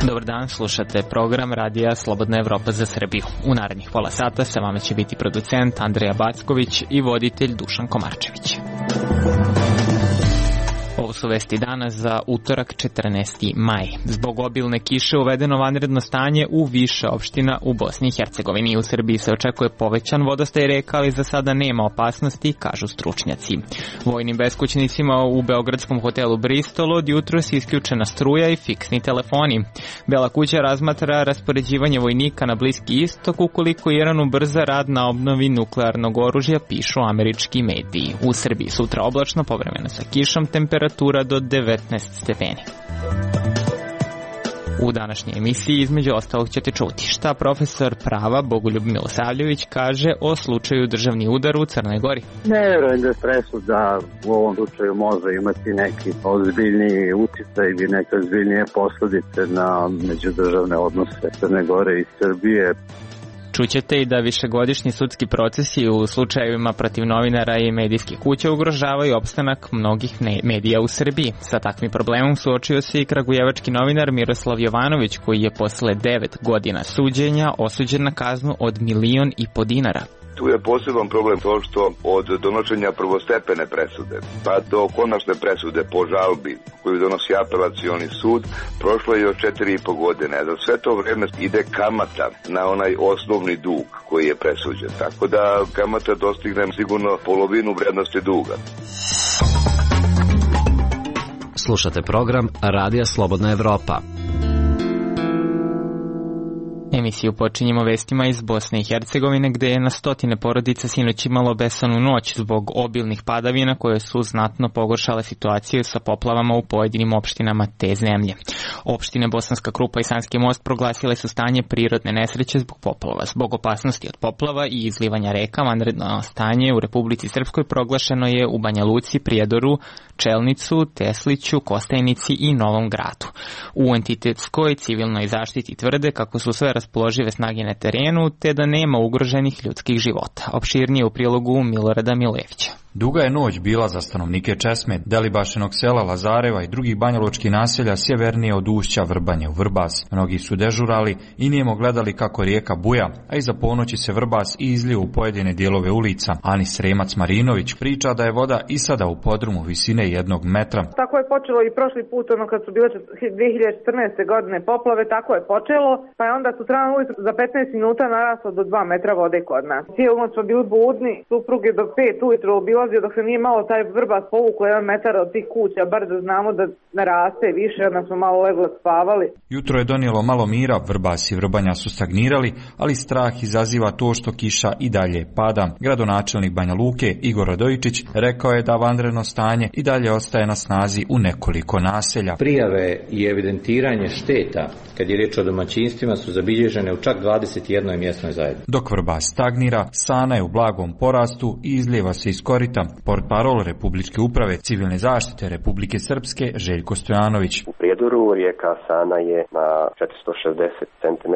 Dobar dan, slušate program Radija Slobodna Evropa za Srbiju. U narednih pola sata sa vama će biti producent Andreja Backović i voditelj Dušan Komarčević. Ovo su vesti danas za utorak 14. maj. Zbog obilne kiše uvedeno vanredno stanje u više opština u Bosni i Hercegovini. U Srbiji se očekuje povećan vodostaj reka, ali za sada nema opasnosti, kažu stručnjaci. Vojnim beskućnicima u beogradskom hotelu Bristol od jutros isključena struja i fiksni telefoni. Bela kuća razmatra raspoređivanje vojnika na Bliski istok ukoliko Iran ubrza rad na obnovi nuklearnog oružja, pišu američki mediji. U Srbiji sutra oblačno, povremeno sa kišom, temperatura do 19 stepeni. U današnjoj emisiji između ostalog ćete čuti šta profesor prava Bogoljub Milosavljević kaže o slučaju državni udar u Crnoj Gori. Ne vjerujem da presuda u ovom slučaju može imati neki ozbiljniji uticaj ili neke ozbiljnije posledice na međudržavne odnose Crne Gore i Srbije. Čućete i da višegodišnji sudski procesi u slučajevima protiv novinara i medijskih kuća ugrožavaju opstanak mnogih medija u Srbiji. Sa takvim problemom suočio se i kragujevački novinar Miroslav Jovanović, koji je posle 9 godina suđenja osuđen na kaznu od 1,5 miliona dinara. Tu je poseban problem to što od donošenja prvostepene presude pa do konačne presude po žalbi koju donosi apelacioni sud prošlo je još 4,5 godine. Za sve to vreme ide kamata na onaj osnovni dug koji je presuđen. Tako da kamata dostigne sigurno polovinu vrednosti duga. Slušate program Radija Slobodna Evropa. Emisiju počinjemo vestima iz Bosne i Hercegovine, gde je na stotine porodica sinoć imalo besanu noć zbog obilnih padavina koje su znatno pogoršale situaciju sa poplavama u pojedinim opštinama te zemlje. Opštine Bosanska Krupa i Sanski Most proglasile su stanje prirodne nesreće zbog poplava. Zbog opasnosti od poplava i izlivanja reka, vanredno stanje u Republici Srpskoj proglašeno je u Banja Luci, Prijedoru, Čelnicu, Tesliću, Kostajnici i Novom Gradu. U entitetskoj civilnoj zaštiti tvrde kako su sve raspoložive snage na terenu, te da nema ugroženih ljudskih života. Opširnije u prilogu Milorada Milevića. Duga je noć bila za stanovnike Česme, Delibašinog sela, Lazareva i drugih banjalučkih naselja sjevernije od ušća Vrbanje u Vrbas. Mnogi su dežurali i nijemo gledali kako rijeka buja, a iza ponoći se Vrbas i izlio u pojedine dijelove ulica. Anis Sremac Marinović priča da je voda i sada u podrumu visine 1 metra. Tako je počelo i prošli put, kad su bile 2014. godine poplave, tako je počelo, pa je onda sutradan ujutro za 15 minuta naraslo do 2 metra vode kod nas. Cijelu noć smo bili budni, suprug je do 5 ujutro dok se nije malo taj Vrbas povuklo 1 metar od tih kuća, bar da znamo da naraste više, onda smo malo leglo spavali. Jutro je donijelo malo mira, Vrbas i Vrbanja su stagnirali, ali strah izaziva to što kiša i dalje pada. Gradonačelnik Banja Luke Igor Radojičić rekao je da vanredno stanje i dalje ostaje na snazi u nekoliko naselja. Prijave i evidentiranje šteta, kad je riječ o domaćinstvima, su zabilježene u čak 21 mjesnoj zajednici. Dok Vrbas stagnira, Sana je u blagom porastu i izlijeva se iz korita. Portparol Republičke uprave civilne zaštite Republike Srpske Željko Stojanović. U Prijedoru rijeka Sana je na 460 cm,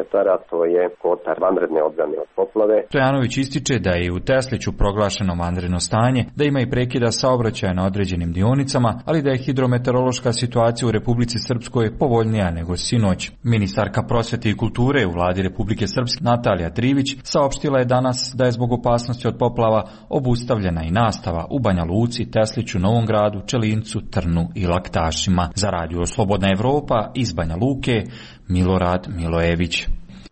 to je kotar vanredne odbrane od poplave. Stojanović ističe da je u Tesliću proglašeno vanredno stanje, da ima i prekida saobraćaja na određenim dionicama, ali da je hidrometeorološka situacija u Republici Srpskoj povoljnija nego sinoć. Ministarka prosvete i kulture u vladi Republike Srpske Natalija Trivić saopštila je danas da je zbog opasnosti od poplava obustavljena i nastava u Banja Luci, Tesliću, Novom Gradu, Čelincu, Trnu i Laktašima. Za Radio Slobodna Evropa iz Banja Luke, Milorad Milojević.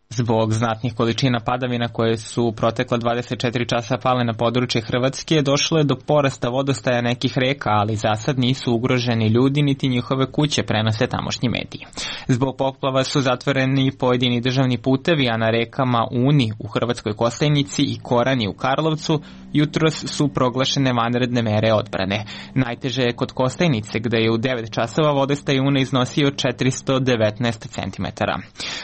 Zbog znatnih količina padavina koje su protekla 24 časa pale na područje Hrvatske, došlo je do porasta vodostaja nekih reka, ali za sad nisu ugroženi ljudi niti njihove kuće, prenose tamošnji mediji. Zbog poplava su zatvoreni pojedini državni putevi, a na rekama Uni u Hrvatskoj Kostajnici i Korani u Karlovcu jutros su proglašene vanredne mere odbrane. Najteže je kod Kostajnice, gde je u 9 časova vodostaj Une iznosio 419 cm.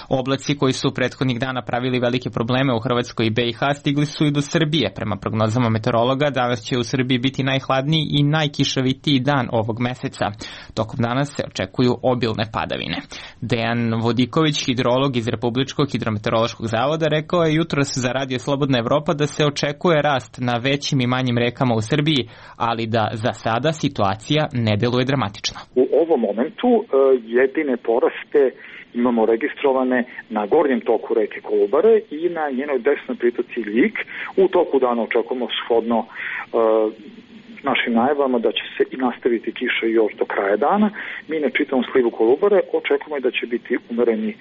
Oblaci koji su prethodnih dana pravili velike probleme u Hrvatskoj i BiH stigli su i do Srbije. Prema prognozama meteorologa, danas će u Srbiji biti najhladniji i najkišovitiji dan ovog meseca. Tokom dana se očekuju obilne padavine. Dejan Vodiković, hidrolog iz Republičkog hidrometeorološkog zavoda, rekao je jutros za Radio Slobodna Evropa da se očekuje rast na većim i manjim rekama u Srbiji, ali da za sada situacija ne deluje dramatično. U ovom momentu jedine poraste imamo registrovane na gornjem toku reke Kolubare i na njenoj desnoj pritoci Ljig. U toku dana očekujemo shodno našim najavama da će se i nastaviti kiša još do kraja dana. Mi na čitavom slivu Kolubare očekujemo da će biti umereni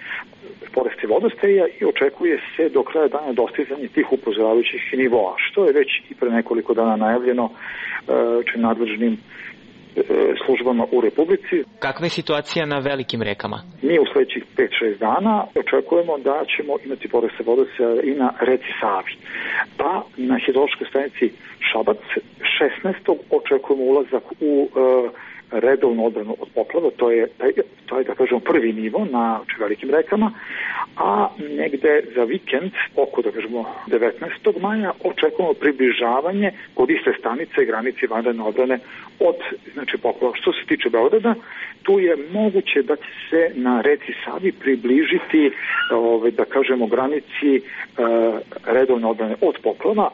porasti vodostaja i očekuje se do kraja dana dostizanje tih upozoravajućih nivoa, što je već i pre nekoliko dana najavljeno nadležnim službama u Republici. Kakva je situacija na velikim rekama? Mi u sledećih 5-6 dana očekujemo da ćemo imati porasta vodostaja i na reci Savi. Pa na hidrološkoj stanici Šabac 16. očekujemo ulazak u redovnu odbranu od poplava, to je da kažemo prvi nivo na velikim rekama, a negde za vikend, oko da kažemo 19. maja, očekujemo približavanje kod iste stanice granice vanredne odbrane od poplava. Što se tiče Beograda, tu je moguće da će se na reci Savi približiti da kažemo granici redovne odbrane od poplava.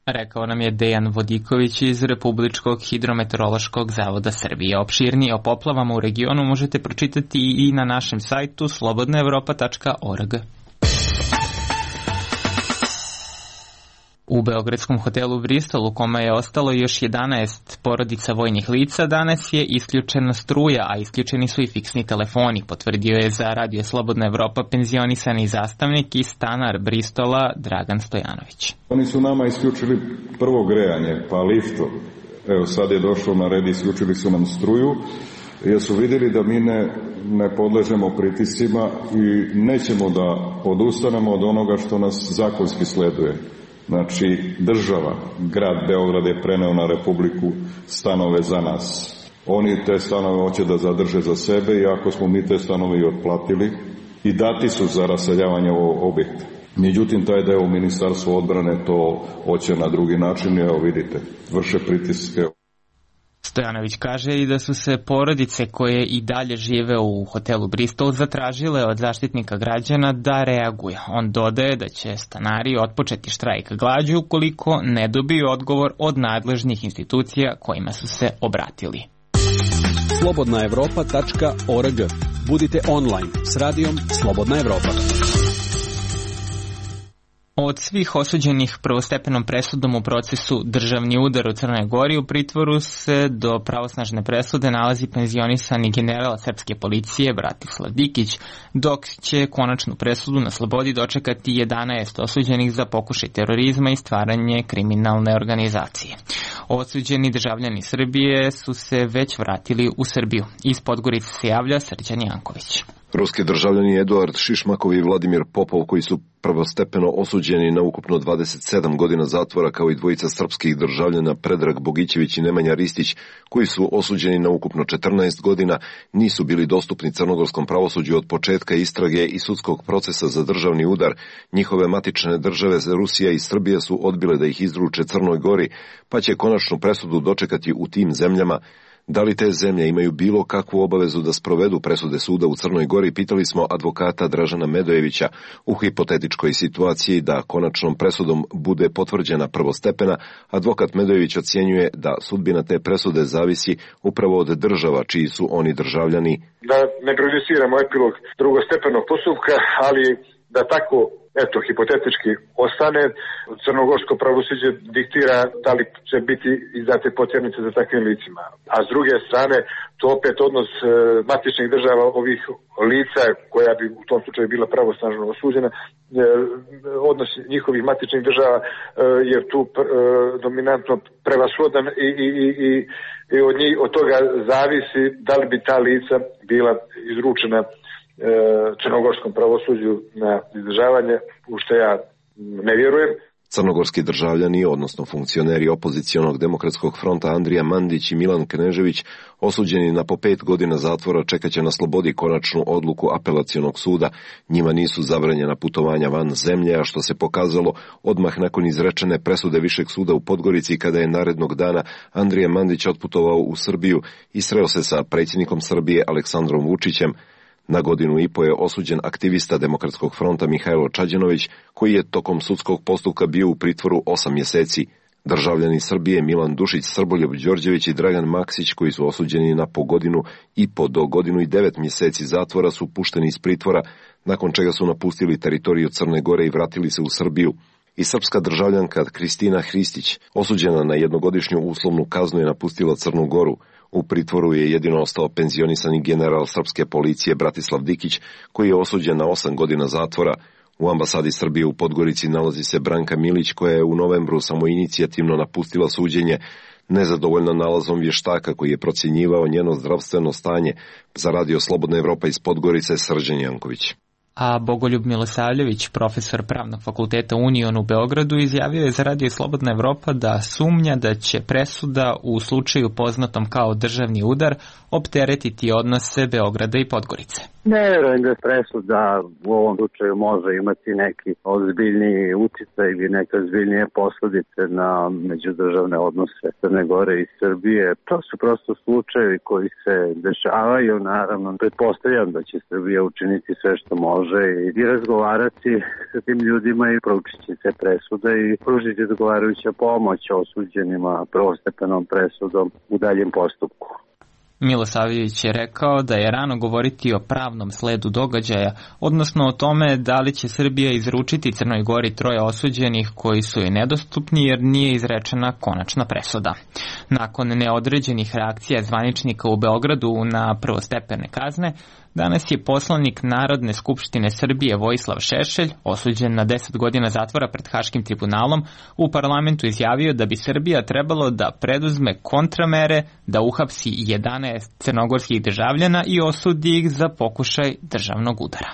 Rekao nam je Dejan Vodiković iz Republičkog hidrometeorološkog zavoda Srbije. Opširnije o poplavama u regionu možete pročitati i na našem sajtu slobodnaevropa.org. U beogradskom hotelu Bristol, u kome je ostalo još 11 porodica vojnih lica, danas je isključena struja, a isključeni su i fiksni telefoni, potvrdio je za Radio Slobodna Evropa penzionisani zastavnik i stanar Bristola Dragan Stojanović. Oni su nama isključili prvo grejanje, pa lifto. Evo sad je došlo na red, isključili su nam struju, jer su vidjeli da mi ne podležemo pritiscima i nećemo da odustanemo od onoga što nas zakonski sleduje. Znači, država, grad Beograd je preneo na Republiku stanove za nas. Oni te stanove hoće da zadrže za sebe, iako smo mi te stanove i otplatili i dati su za raseljavanje ovog objekta. Međutim, taj deo u Ministarstvu odbrane to hoće na drugi način, evo vidite, vrše pritiske. Stojanović kaže i da su se porodice koje i dalje žive u hotelu Bristol zatražile od zaštitnika građana da reaguje. On dodaje da će stanari otpočeti štrajk glađu ukoliko ne dobiju odgovor od nadležnih institucija kojima su se obratili. slobodnaevropa.org. Budite online s radijom Slobodna Evropa. Od svih osuđenih prvostepenom presudom u procesu Državni udar u Crnoj Gori u pritvoru se do pravosnažne presude nalazi penzionisani general srpske policije Bratislav Dikić, dok će konačnu presudu na slobodi dočekati 11 osuđenih za pokušaj terorizma i stvaranje kriminalne organizacije. Osuđeni državljani Srbije su se već vratili u Srbiju. Iz Podgorice se javlja Srđan Janković. Ruski državljani Eduard Šišmakov i Vladimir Popov, koji su prvostepeno osuđeni na ukupno 27 godina zatvora, kao i dvojica srpskih državljana Predrag Bogićević i Nemanja Ristić, koji su osuđeni na ukupno 14 godina, nisu bili dostupni crnogorskom pravosuđu od početka istrage i sudskog procesa za državni udar. Njihove matične države Rusija i Srbija su odbile da ih izruče Crnoj Gori, pa će konačnu presudu dočekati u tim zemljama. Da li te zemlje imaju bilo kakvu obavezu da sprovedu presude suda u Crnoj Gori, pitali smo advokata Dražana Medojevića. U hipotetičkoj situaciji da konačnom presudom bude potvrđena prvostepena, advokat Medojević ocjenjuje da sudbina te presude zavisi upravo od država čiji su oni državljani. Da ne prejudiciramo epilog drugostepenog postupka, ali da tako hipotetički ostane, crnogorsko pravosuđe diktira da li će biti izdate potjernice za takvim licima. A s druge strane, to opet odnos matičnih država ovih lica, koja bi u tom slučaju bila pravosnažno osuđena, odnos njihovih matičnih država je tu dominantno prevashodan i od toga zavisi da li bi ta lica bila izručena crnogorskom pravosuđu na izdržavanje, u što ja ne vjerujem. Crnogorski državljani, odnosno funkcioneri opozicionog demokratskog fronta Andrija Mandić i Milan Knežević, osuđeni na po 5 godina zatvora, čekaće na slobodi konačnu odluku apelacionog suda. Njima nisu zabranjena putovanja van zemlje, a što se pokazalo odmah nakon izrečene presude Višeg suda u Podgorici, kada je narednog dana Andrija Mandić otputovao u Srbiju i sreo se sa predsjednikom Srbije Aleksandrom Vučićem. Na 1,5 godine je osuđen aktivista Demokratskog fronta Mihajlo Čađanović, koji je tokom sudskog postupka bio u pritvoru 8 mjeseci. Državljani Srbije Milan Dušić, Srboljub Đorđević i Dragan Maksić, koji su osuđeni na po 1,5 godine do 1,9 godine mjeseci zatvora, su pušteni iz pritvora, nakon čega su napustili teritoriju Crne Gore i vratili se u Srbiju. I srpska državljanka Kristina Hristić, osuđena na 1-godišnju uslovnu kaznu, je napustila Crnu Goru. U pritvoru je jedino ostao penzionisani general srpske policije Bratislav Dikić, koji je osuđen na 8 godina zatvora. U ambasadi Srbije u Podgorici nalazi se Branka Milić, koja je u novembru samoinicijativno napustila suđenje, nezadovoljna nalazom vještaka koji je procjenjivao njeno zdravstveno stanje. Za Radio Slobodna Evropa iz Podgorice, Srđan Janković. A Bogoljub Milosavljević, profesor Pravnog fakulteta Union u Beogradu, izjavio je za Radio Slobodna Evropa da sumnja da će presuda u slučaju poznatom kao državni udar opteretiti odnose Beograda i Podgorice. Ne verujem da presuda u ovom slučaju može imati neki ozbiljniji uticaj ili neke ozbiljnije posljedice na međudržavne odnose Crne Gore i Srbije. To su prosto slučajevi koji se dešavaju. Naravno, pretpostavljam da će Srbija učiniti sve što može i razgovarati sa tim ljudima i proučiti se presude i pružiti odgovarajuća pomoć osuđenima prvostepenom presudom u daljem postupku. Milosavljević je rekao da je rano govoriti o pravnom sledu događaja, odnosno o tome da li će Srbija izručiti Crnoj Gori 3 osuđenih koji su joj nedostupni jer nije izrečena konačna presuda. Nakon neodređenih reakcija zvaničnika u Beogradu na prvostepene kazne, danas je poslanik Narodne skupštine Srbije Vojislav Šešelj, osuđen na 10 godina zatvora pred Haškim tribunalom, u parlamentu izjavio da bi Srbija trebalo da preduzme kontramere, da uhapsi 11 crnogorskih državljana i osudi ih za pokušaj državnog udara.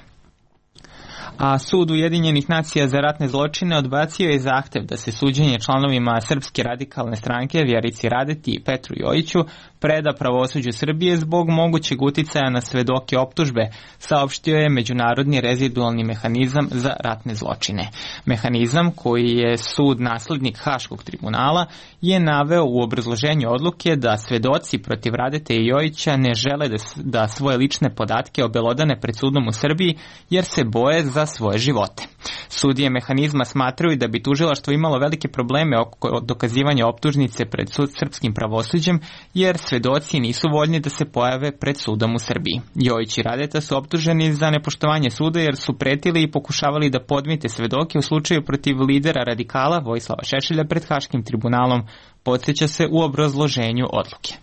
A Sud Ujedinjenih nacija za ratne zločine odbacio je zahtev da se suđenje članovima Srpske radikalne stranke Vjerici Radeti i Petru Jojiću preda pravosuđu Srbije zbog mogućeg uticaja na svedoke optužbe, saopštio je Međunarodni rezidualni mehanizam za ratne zločine. Mehanizam, koji je sud naslednik Haškog tribunala, je naveo u obrazloženju odluke da svedoci protiv Radete i Jojića ne žele da svoje lične podatke obelodane pred sudom u Srbiji jer se boje za svoje živote. Sudije mehanizma smatraju da bi tužilaštvo imalo velike probleme oko dokazivanja optužnice pred srpskim pravosuđem jer svedoci nisu voljni da se pojave pred sudom u Srbiji. Jojić i Radeta su optuženi za nepoštovanje suda jer su pretili i pokušavali da podmite svedoke u slučaju protiv lidera radikala Vojislava Šešelja pred Haškim tribunalom, podsjeća se u obrazloženju odluke.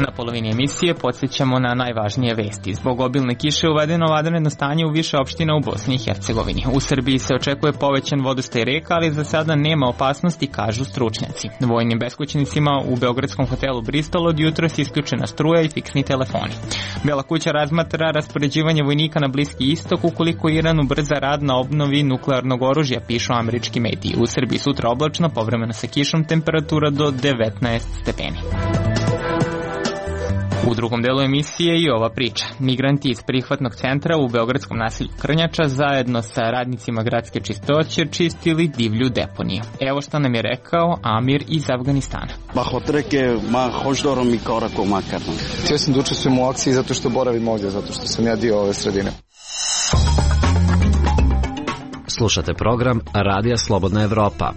Na polovini emisije podsjećamo na najvažnije vesti. Zbog obilne kiše uvedeno vanredno stanje u više opština u Bosni i Hercegovini. U Srbiji se očekuje povećan vodostaj reka, ali za sada nema opasnosti, kažu stručnjaci. Vojnim beskućnicima u beogradskom hotelu Bristol od jutros isključena struja i fiksni telefoni. Bela kuća razmatra raspoređivanje vojnika na Bliski istok ukoliko Iran ubrza rad na obnovi nuklearnog oružja, pišu američki mediji. U Srbiji sutra oblačno, povremeno sa kišom, temperatura do 19 stepeni. U drugom delu emisije i ova priča. Migranti iz prihvatnog centra u beogradskom naselju Krnjača zajedno sa radnicima gradske čistoće čistili divlju deponiju. Evo što nam je rekao Amir iz Afganistana. Htio sam da učestvujem u akciji zato što boravim ovdje, zato što sam ja dio ove sredine. Slušate program Radija Slobodna Evropa.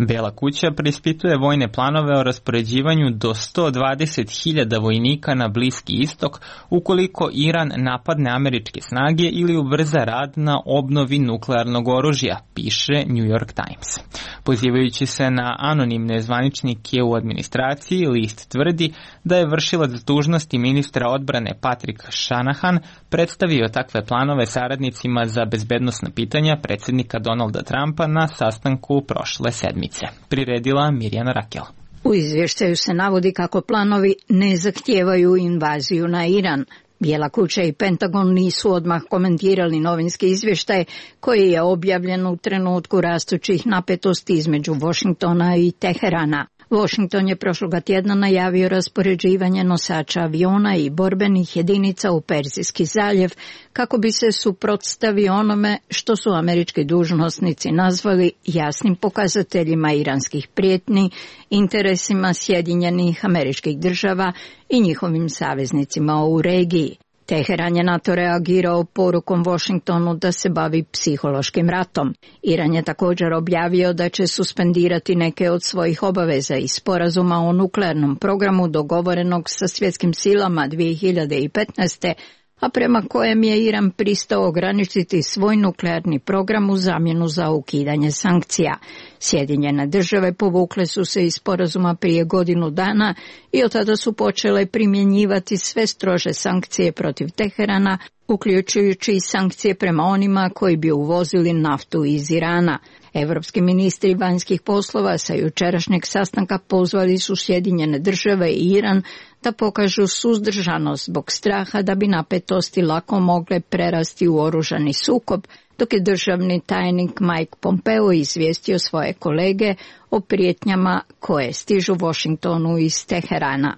Bela kuća preispituje vojne planove o raspoređivanju do 120.000 vojnika na Bliski istok ukoliko Iran napadne američke snage ili ubrza rad na obnovi nuklearnog oružja, piše New York Times. Pozivajući se na anonimne zvaničnike u administraciji, list tvrdi da je vršilac dužnosti ministra odbrane Patrick Shanahan predstavio takve planove saradnicima za bezbednosna pitanja predsjednika Donalda Trumpa na sastanku prošle sedmice. Priredila Mirjana Rakel. U izvještaju se navodi kako planovi ne zahtijevaju invaziju na Iran. Bijela kuća i Pentagon nisu odmah komentirali novinski izvještaj koji je objavljen u trenutku rastućih napetosti između Washingtona i Teherana. Washington je prošloga tjedna najavio raspoređivanje nosača aviona i borbenih jedinica u Perzijski zaljev kako bi se suprotstavio onome što su američki dužnosnici nazvali jasnim pokazateljima iranskih prijetnji, interesima Sjedinjenih Američkih Država i njihovim saveznicima u regiji. Teheran je na to reagirao porukom Washingtonu da se bavi psihološkim ratom. Iran je također objavio da će suspendirati neke od svojih obaveza iz sporazuma o nuklearnom programu dogovorenog sa svjetskim silama 2015. a prema kojem je Iran pristao ograničiti svoj nuklearni program u zamjenu za ukidanje sankcija. Sjedinjene države povukle su se iz sporazuma prije godinu dana i od tada su počele primjenjivati sve strože sankcije protiv Teherana, uključujući i sankcije prema onima koji bi uvozili naftu iz Irana. Evropski ministri vanjskih poslova sa jučerašnjeg sastanka pozvali su Sjedinjene države i Iran da pokažu suzdržanost zbog straha da bi napetosti lako mogle prerasti u oružani sukob, dok je državni tajnik Mike Pompeo izvijestio svoje kolege o prijetnjama koje stižu Washingtonu iz Teherana.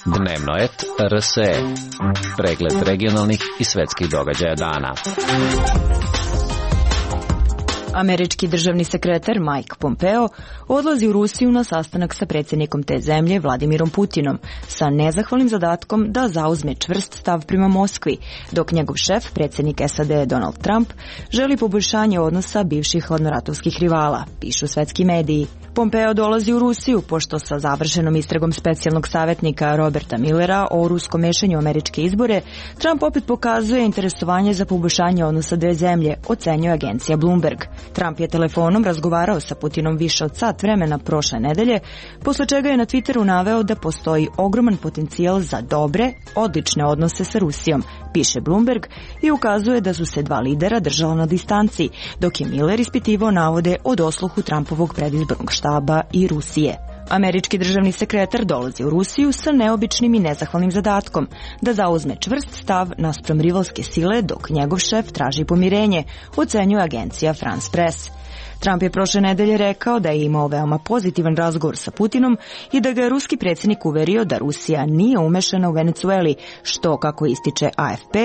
Dnevnoet RSE. Pregled regionalnih i svetskih događaja dana. Američki državni sekretar Mike Pompeo odlazi u Rusiju na sastanak sa predsjednikom te zemlje Vladimirom Putinom sa nezahvalnim zadatkom da zauzme čvrst stav prema Moskvi, dok njegov šef, predsjednik SAD Donald Trump, želi poboljšanje odnosa bivših hladnoratovskih rivala, pišu svetski mediji. Pompeo dolazi u Rusiju pošto sa završenom istragom specijalnog savjetnika Roberta Millera o ruskom mešanju u američke izbore, Trump opet pokazuje interesovanje za poboljšanje odnosa dve zemlje, ocenjuje agencija Bloomberg. Trump je telefonom razgovarao sa Putinom više od sat vremena prošle nedelje, posle čega je na Twitteru naveo da postoji ogroman potencijal za dobre, odlične odnose sa Rusijom, piše Bloomberg, i ukazuje da su se dva lidera držala na distanci, dok je Miller ispitivao navode o dosluhu Trumpovog predizbornog štaba i Rusije. Američki državni sekretar dolazi u Rusiju sa neobičnim i nezahvalnim zadatkom da zauzme čvrst stav naspram rivalske sile, dok njegov šef traži pomirenje, ocenjuje agencija France Press. Trump je prošle nedelje rekao da je imao veoma pozitivan razgovor sa Putinom i da ga je ruski predsjednik uverio da Rusija nije umešana u Venecueli, što, kako ističe AFP,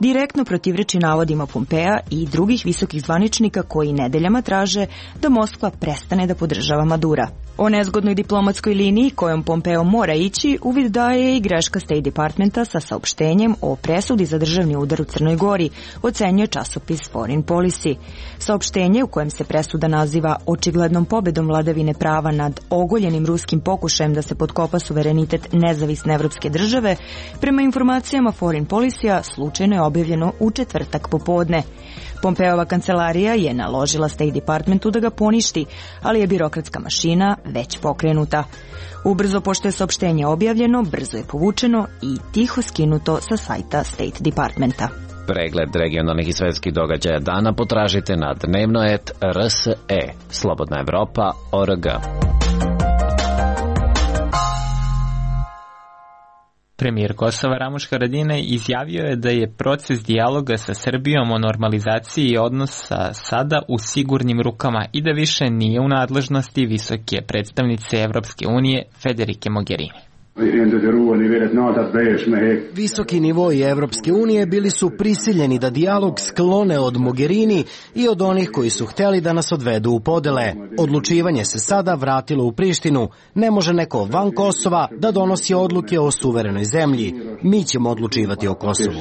direktno protivreči navodima Pompea i drugih visokih zvaničnika koji nedeljama traže da Moskva prestane da podržava Madura. O nezgodnoj diplomatskoj liniji kojom Pompeo mora ići uvid daje i greška State Departmenta sa saopštenjem o presudi za državni udar u Crnoj Gori, ocenjuje časopis Foreign Policy. Saopštenje u kojem se presuda naziva očiglednom pobedom vladavine prava nad ogoljenim ruskim pokušajem da se potkopa suverenitet nezavisne evropske države, prema informacijama Foreign Policy-a slučajno je objavljeno u četvrtak popodne. Pompeova kancelarija je naložila State Departmentu da ga poništi, ali je birokratska mašina već pokrenuta. Ubrzo pošto je saopštenje objavljeno, brzo je povučeno i tiho skinuto sa sajta State Departmenta. Pregled regionalnih i svetskih događaja dana potražite na Dnevnoet RSE, Slobodna Evropa.org. Premijer Kosova Ramuš Haradinaj izjavio je da je proces dijaloga sa Srbijom o normalizaciji odnosa sada u sigurnim rukama i da više nije u nadležnosti visoke predstavnice Evropske unije Federike Mogherini. Visoki nivoi Evropske unije bili su prisiljeni da dijalog sklone od Mogherini i od onih koji su htjeli da nas odvedu u podele. Odlučivanje se sada vratilo u Prištinu. Ne može neko van Kosova da donosi odluke o suverenoj zemlji. Mi ćemo odlučivati o Kosovu.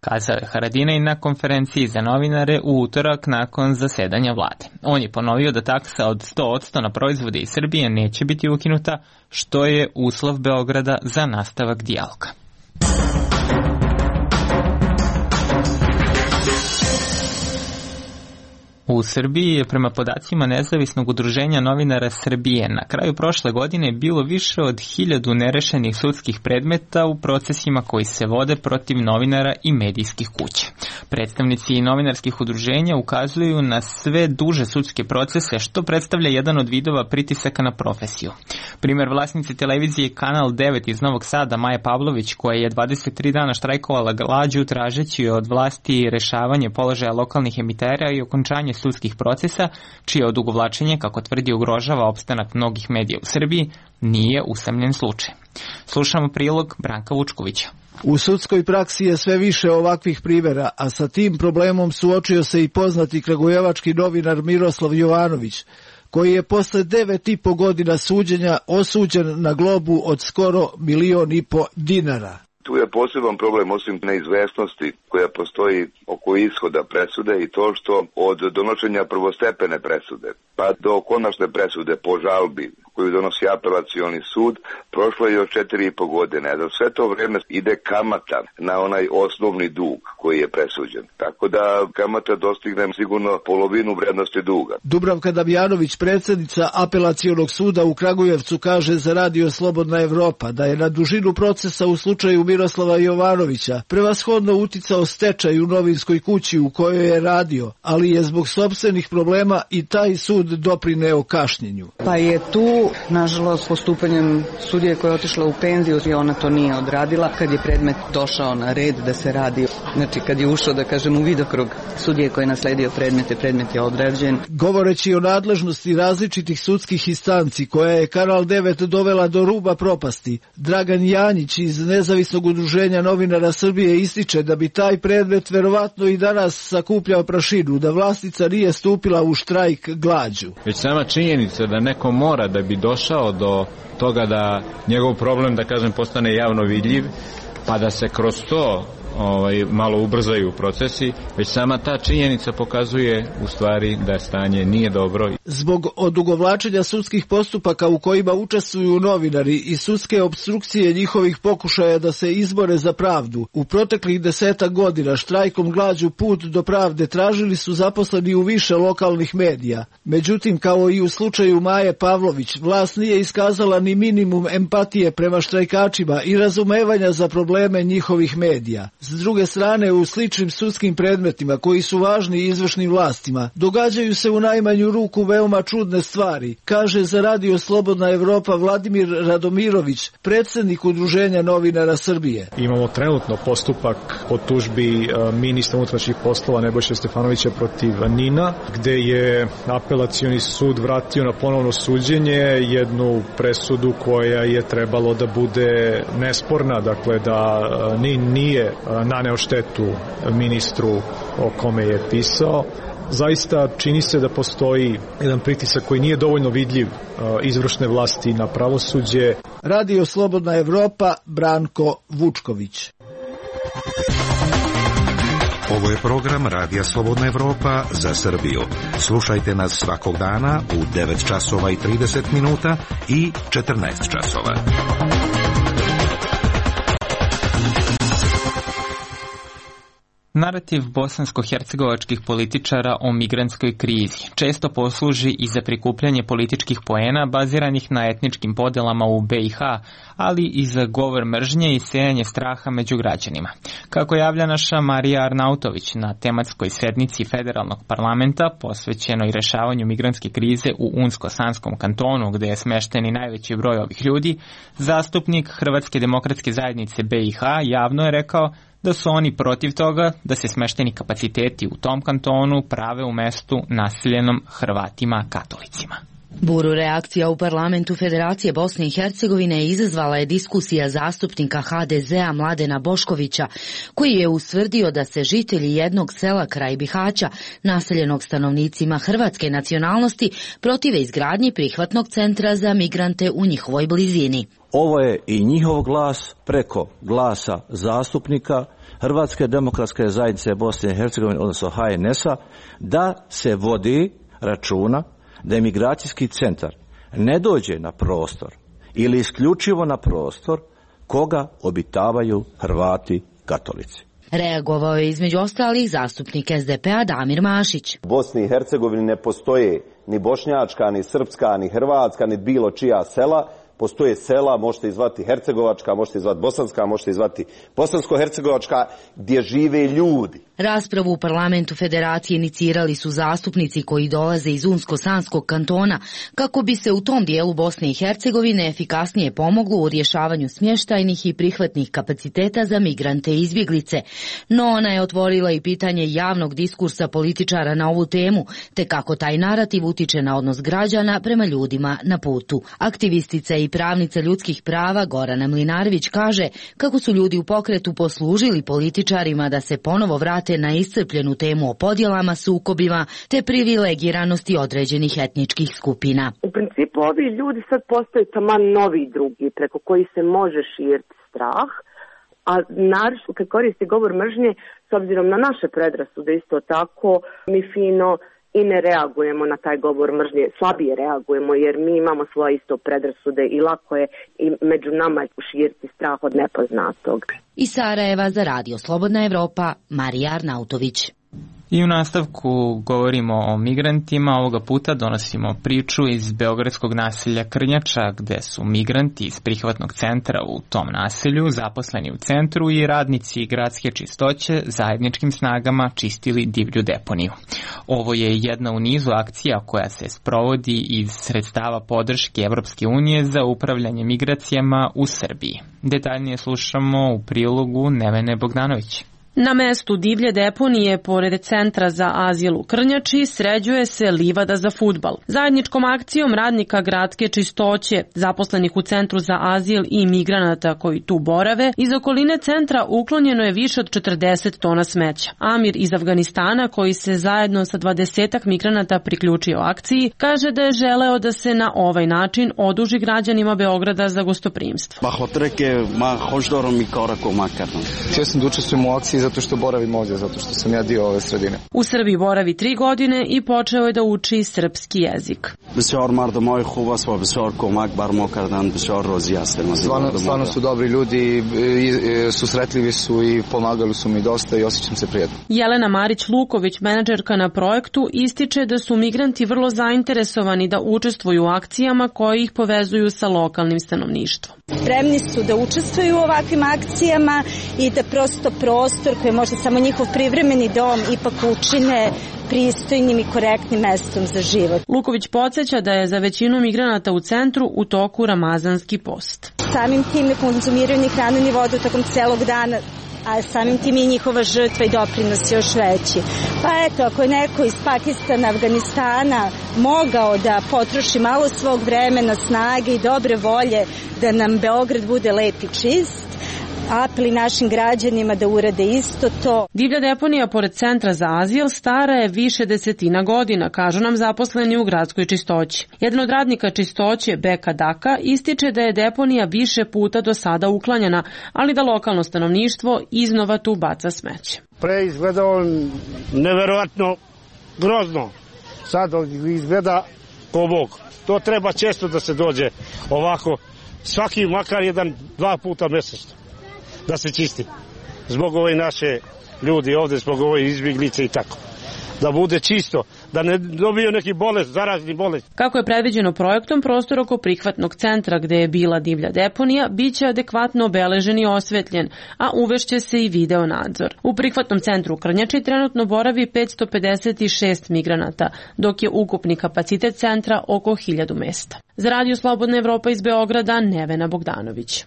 Kazao je Haradinaj na konferenciji za novinare u utorak nakon zasedanja vlade. On je ponovio da taksa od 100% na proizvode iz Srbije neće biti ukinuta, što je uslov Beograda za nastavak dijaloga. U Srbiji je prema podacima Nezavisnog udruženja novinara Srbije na kraju prošle godine bilo više od 1000 nerešenih sudskih predmeta u procesima koji se vode protiv novinara i medijskih kuća. Predstavnici novinarskih udruženja ukazuju na sve duže sudske procese, što predstavlja jedan od vidova pritisaka na profesiju. Primer vlasnice televizije Kanal 9 iz Novog Sada, Maja Pavlović, koja je 23 dana štrajkovala glađu tražeći od vlasti rešavanje položaja lokalnih emitera i okončanje sudskih procesa, čije odugovlačenje, kako tvrdi, ugrožava opstanak mnogih medija u Srbiji, nije usamljen slučaj. Slušamo prilog Branka Vučkovića. U sudskoj praksi je sve više ovakvih primjera, a sa tim problemom suočio se i poznati kragujevački novinar Miroslav Jovanović, koji je posle 9,5 godina suđenja osuđen na globu od skoro 1,5 miliona dinara. Tu je poseban problem, osim neizvesnosti koja postoji oko ishoda presude, i to što od donošenja prvostepene presude pa do konačne presude po žalbi koju donosi apelacioni sud, prošlo je još 4,5 godine. Za sve to vreme ide kamata na onaj osnovni dug koji je presuđen. Tako da kamata dostigne sigurno polovinu vrednosti duga. Dubravka Damjanović, predsjednica apelacionog suda u Kragujevcu, kaže za Radio Slobodna Evropa da je na dužinu procesa u slučaju Miroslava Jovanovića prevashodno uticao stečaj u novinskoj kući u kojoj je radio, ali je zbog sopstvenih problema i taj sud doprineo kašnjenju. Pa je tu, nažalost, postupanjem sudije koja je otišla u penziju i ona to nije odradila. Kad je predmet došao na red da se radi, znači kad je ušao, da kažem, u vidokrug sudije koji je nasledio predmet je odrađen. Govoreći o nadležnosti različitih sudskih instanci koja je Kanal 9 dovela do ruba propasti, Dragan Janjić iz Nezavisnog udruženja novinara Srbije ističe da bi taj predmet verovatno i danas sakupljao prašinu, da vlasnica nije stupila u štrajk glađu. Već sama činjenica da neko mora da bi došao do toga da njegov problem, da kažem, postane javno vidljiv, pa da se kroz to malo ubrzaju procesi, već sama ta činjenica pokazuje u stvari da stanje nije dobro. Zbog odugovlačenja sudskih postupaka u kojima učestvuju novinari i sudske opstrukcije njihovih pokušaja da se izbore za pravdu, u proteklih 10 godina štrajkom glađu put do pravde tražili su zaposleni u više lokalnih medija. Međutim, kao i u slučaju Maje Pavlović, vlast nije iskazala ni minimum empatije prema štrajkačima i razumevanja za probleme njihovih medija. S druge strane, u sličnim sudskim predmetima koji su važni izvršnim vlastima, događaju se u najmanju ruku veoma čudne stvari, kaže za Radio Slobodna Evropa Vladimir Radomirović, predsjednik Udruženja novinara Srbije. Imamo trenutno postupak po tužbi ministra unutrašnjih poslova Nebojše Stefanovića protiv NIN-a, gde je apelacioni sud vratio na ponovno suđenje jednu presudu koja je trebalo da bude nesporna, dakle da NIN nije naneo štetu ministru o kome je pisao. Zaista čini se da postoji jedan pritisak koji nije dovoljno vidljiv izvršne vlasti na pravosuđe. Radio Slobodna Evropa, Branko Vučković. Ovo je program Radija Slobodna Evropa za Srbiju. Slušajte nas svakog dana u 9 časova i 30 minuta i 14 časova. Narativ bosansko-hercegovačkih političara o migrantskoj krizi često posluži i za prikupljanje političkih poena baziranih na etničkim podelama u BiH, ali i za govor mržnje i sejanje straha među građanima. Kako javlja naša Marija Arnautović na tematskoj sednici Federalnog parlamenta posvećenoj rešavanju migrantske krize u Unsko-Sanskom kantonu, gde je smešten najveći broj ovih ljudi, zastupnik Hrvatske demokratske zajednice BiH javno je rekao da su oni protiv toga da se smešteni kapaciteti u tom kantonu prave u mestu naseljenom Hrvatima katolicima. Buru reakcija u parlamentu Federacije Bosne i Hercegovine izazvala je diskusija zastupnika HDZ-a Mladena Boškovića, koji je ustvrdio da se žitelji jednog sela kraj Bihaća, naseljenog stanovnicima hrvatske nacionalnosti, protive izgradnji prihvatnog centra za migrante u njihovoj blizini. Ovo je i njihov glas preko glasa zastupnika Hrvatske demokratske zajednice Bosne i Hercegovine, odnosno HNS-a, da se vodi računa da imigracijski centar ne dođe na prostor ili isključivo na prostor koga obitavaju Hrvati katolici. Reagovao je između ostalih zastupnik SDP-a Damir Mašić. U Bosni i Hercegovini ne postoje ni bošnjačka, ni srpska, ni hrvatska, ni bilo čija sela, postoje sela, možete izvati Hercegovačka, možete izvati Bosanska, možete izvati Bosansko-Hercegovačka, gdje žive ljudi. Raspravu u parlamentu federacije inicirali su zastupnici koji dolaze iz Unsko-Sanskog kantona kako bi se u tom dijelu Bosne i Hercegovine efikasnije pomoglo u rješavanju smještajnih i prihvatnih kapaciteta za migrante i izbjeglice. No ona je otvorila i pitanje javnog diskursa političara na ovu temu, te kako taj narativ utiče na odnos građana prema ljudima na putu. Aktivistica i pravnica ljudskih prava Gorana Mlinarević kaže kako su ljudi u pokretu poslužili političarima da se ponovo vrate na iscrpljenu temu o podjelama, sukobima te privilegiranosti određenih etničkih skupina. U principu ovi ljudi sad postaju taman novi drugi preko koji se može širiti strah, a naravno kad koristi govor mržnje, s obzirom na naše predrasude isto tako, mi fino i ne reagujemo na taj govor mržnje, slabije reagujemo jer mi imamo svoje isto predrasude i lako je i među nama širiti strah od nepoznatog. Iz Sarajeva za Radio Slobodna Evropa, Marija Arnautović. I u nastavku govorimo o migrantima, ovoga puta donosimo priču iz beogradskog naselja Krnjača, gde su migranti iz prihvatnog centra u tom naselju zaposleni u centru i radnici gradske čistoće zajedničkim snagama čistili divlju deponiju. Ovo je jedna u nizu akcija koja se sprovodi iz sredstava podrške Evropske unije za upravljanje migracijama u Srbiji. Detaljnije slušamo u prilogu Nevene Bogdanović. Na mestu divlje deponije, pored centra za azil u Krnjači, sređuje se livada za fudbal. Zajedničkom akcijom radnika gradske čistoće, zaposlenih u centru za azil i migranata koji tu borave, iz okoline centra uklonjeno je više od 40 tona smeća. Amir iz Afganistana, koji se zajedno sa 20 migranata priključio akciji, kaže da je želeo da se na ovaj način oduži građanima Beograda za gostoprimstvo. Htio sam da učestvujem u akciji zato što boravim ovdje, zato što sam ja dio ove sredine. U Srbiji boravi 3 godine i počeo je da uči srpski jezik. Stvarno su dobri ljudi, susretljivi su i pomagali su mi dosta i osjećam se prijatno. Jelena Marić-Luković, menadžerka na projektu, ističe da su migranti vrlo zainteresovani da učestvuju u akcijama koje ih povezuju sa lokalnim stanovništvom. Spremni su da učestvuju u ovakvim akcijama i da prosto prostor koji je možda samo njihov privremeni dom ipak učine pristojnim i korektnim mestom za život. Luković podsjeća da je za većinu migranata u centru u toku ramazanski post. Samim tim ne konzumiraju ni hranu ni vodu tokom celog dana, a samim tim i njihova žrtva i doprinos još veći. Pa eto, ako je neko iz Pakistana, Afganistana mogao da potroši malo svog vremena, snage i dobre volje da nam Beograd bude lep i čist, apeli našim građanima da urade isto to. Divlja deponija pored centra za azil stara je više desetina godina, kažu nam zaposleni u gradskoj čistoći. Jedan od radnika čistoće, Beka Daka, ističe da je deponija više puta do sada uklanjana, ali da lokalno stanovništvo iznova tu baca smeće. Pre izgledao neverovatno grozno, sad izgleda ko Bog. To treba često da se dođe ovako, svaki makar 1-2 puta mjesečno da se čisti. Zbog ove naše ljudi ovdje, zbog ove izbjeglice i tako. Da bude čisto, da ne dobiju neki bolest, zarazni bolest. Kako je predviđeno projektom, prostor oko prihvatnog centra gde je bila divlja deponija biće adekvatno obeležen i osvetljen, a uvešće se i video nadzor. U prihvatnom centru u Krnjači trenutno boravi 556 migranata, dok je ukupni kapacitet centra oko 1000 mesta. Za Radio Slobodna Evropa iz Beograda, Nevena Bogdanović.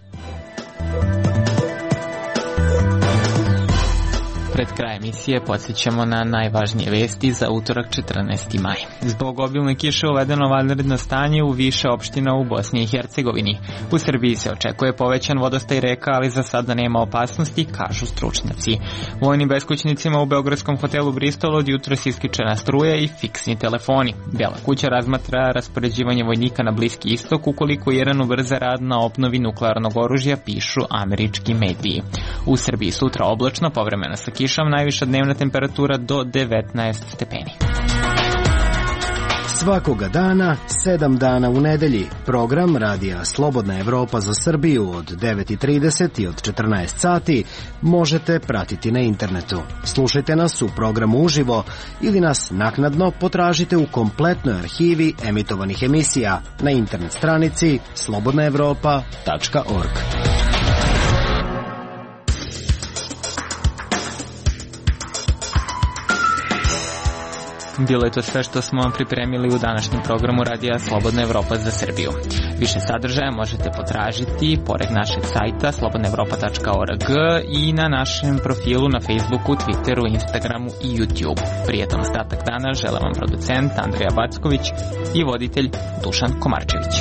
Pred kraj emisije podsjećamo na najvažnije vesti za utorak 14. maj. Zbog obilne kiše uvedeno vanredno stanje u više opština u Bosni i Hercegovini. U Srbiji se očekuje povećan vodostaj reka, ali za sada nema opasnosti, kažu stručnjaci. Vojnim beskućnicima u beogradskom hotelu Bristol od jutros isključena struja i fiksni telefoni. Bela kuća razmatra raspoređivanje vojnika na Bliski istok ukoliko Iran ubrza rad na obnovi nuklearnog oružja, pišu američki mediji. U Srbiji sutra oblačno, povremeno sa kišom, najviša dnevna temperatura do 19 stepeni. Svakoga dana, 7 dana u nedelji, program Radija Slobodna Evropa za Srbiju od 9:30 i od 14 sati možete pratiti na internetu. Slušajte nas u programu uživo ili nas naknadno potražite u kompletnoj arhivi emitovanih emisija na internet stranici slobodnaevropa.org. Bilo je to sve što smo vam pripremili u današnjem programu Radija Slobodna Evropa za Srbiju. Više sadržaja možete potražiti pored našeg sajta slobodnaevropa.org i na našem profilu na Facebooku, Twitteru, Instagramu i YouTubeu. Prijetan ostatak dana žele vam producent Andrija Backović i voditelj Dušan Komarčević.